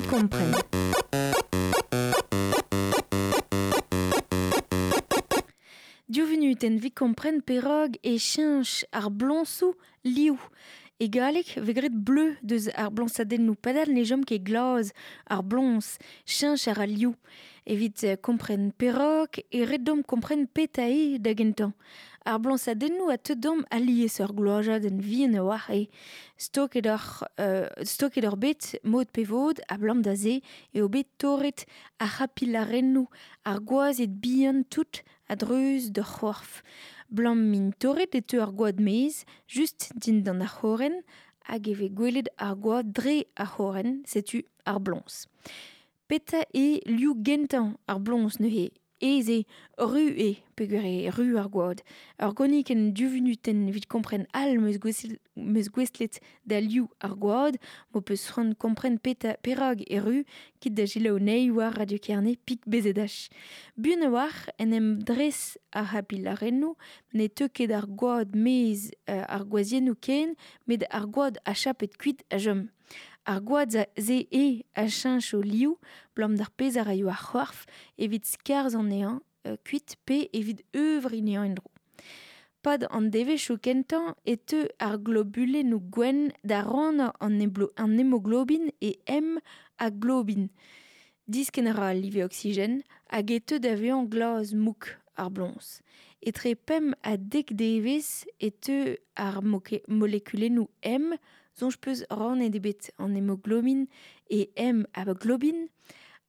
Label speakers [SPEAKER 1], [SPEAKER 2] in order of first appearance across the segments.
[SPEAKER 1] Evit kompren. Div vunutenn evit kompren perak e cheñch ar bloñsoù liv. E galleg vez graet bleu deus ar bloñsadennoù padal ne chom ket glas ar bloñs, cheñch a ra liv. Evit kompren perak e ret deomp kompren petra eo da gentañ. Ar bloñsadennoù a teu deomp alies ur gloajadenn vihan a-walc'h eo. Stoket oc'h stoket oc'h bet mod pe vod abalamour da se eo bet torret ar c'hapilarennoù, ar gwazed bihan tout a-dreuz d'ur c'horf. Blam m'int torret e teu ar gwad maez, just dindan ar c'horenn, hag e vez gwelet ar gwad dre ar c'horenn, setu ar bloñs. Petra eo liv gentañ ar bloñs neuze? Aes eo, ru eo peogwir eo ru ar gwad. Ur gonikenn div vunutenn evit kompren all 'm eus gouestlet da liv ar gwad. M'ho peus c'hoant kompren petra perak eo ru, kit da selaou anezhi war Radio Kerne pik BZH. Buan a-walc'h en em dres ar c'hapilarennoù, ne teu ket ar gwad maez ar gwazhiennoù ken, met ar gwad achapet kuit a chom. Ar gwad-se eo a cheñcho liv, 'blam d'ar pezh a raio ar c'horf evit skarzhañ anezhañ kuit pe evit euvriñ anezhañ en-dro. Pad an devezhioù kentañ e teu ar globulennoù gwenn da rannañ an hemoglobin e M ha globin. Diskenn a ra al live oksigen hag e teu da vezañ glas-mouk ar bloñs. Etre pemp ha dek devezh e teu ar molekulennoù M, soñj 'peus rannet eo bet an hemoglobin e M ha globin.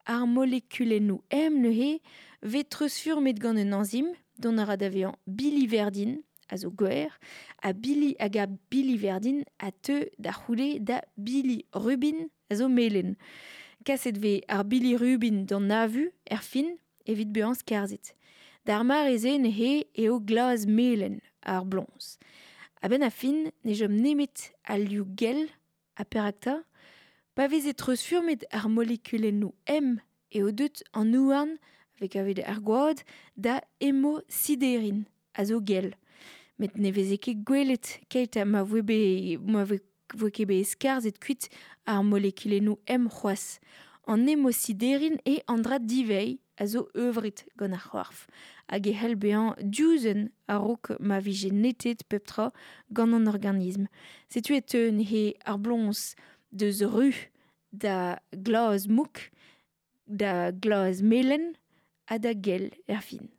[SPEAKER 1] Ar molekulennoù M neuze 'vez treuzfurmet gant un enzim dont a ra da vezañ biliverdin, a zo gwer, ha bili hag ar biliverdin a teu da c'houde da bilirubin, a zo melen. Kaset 'vez ar bilirubin d'an avu erfin evit bezañ skarzhet. D'ar mare-se neuze eo glas-melen ar bloñs. A-benn ar fin ne chom nemet al liv gell ha perak 'ta? Pa veze treuzfurmet ar molekulennoù M eo deut an houarn, a vez kavet er gwad, da hemosiderin, a zo gell. Met ne veze ket gwelet keit ha ma voe bet ma voe ket bet skarzhet kuit ar molekulennoù M c'hoazh. An hemosiderin eo an dra diveiñ a zo euvret gant ar c'horf hag e c'hell bezañ diuzenn a-raok ma vije netet pep tra gant an organism. Setu e teu neuze ar bloñs deus ru da glas mouk, da glas melen ha da gell erfin.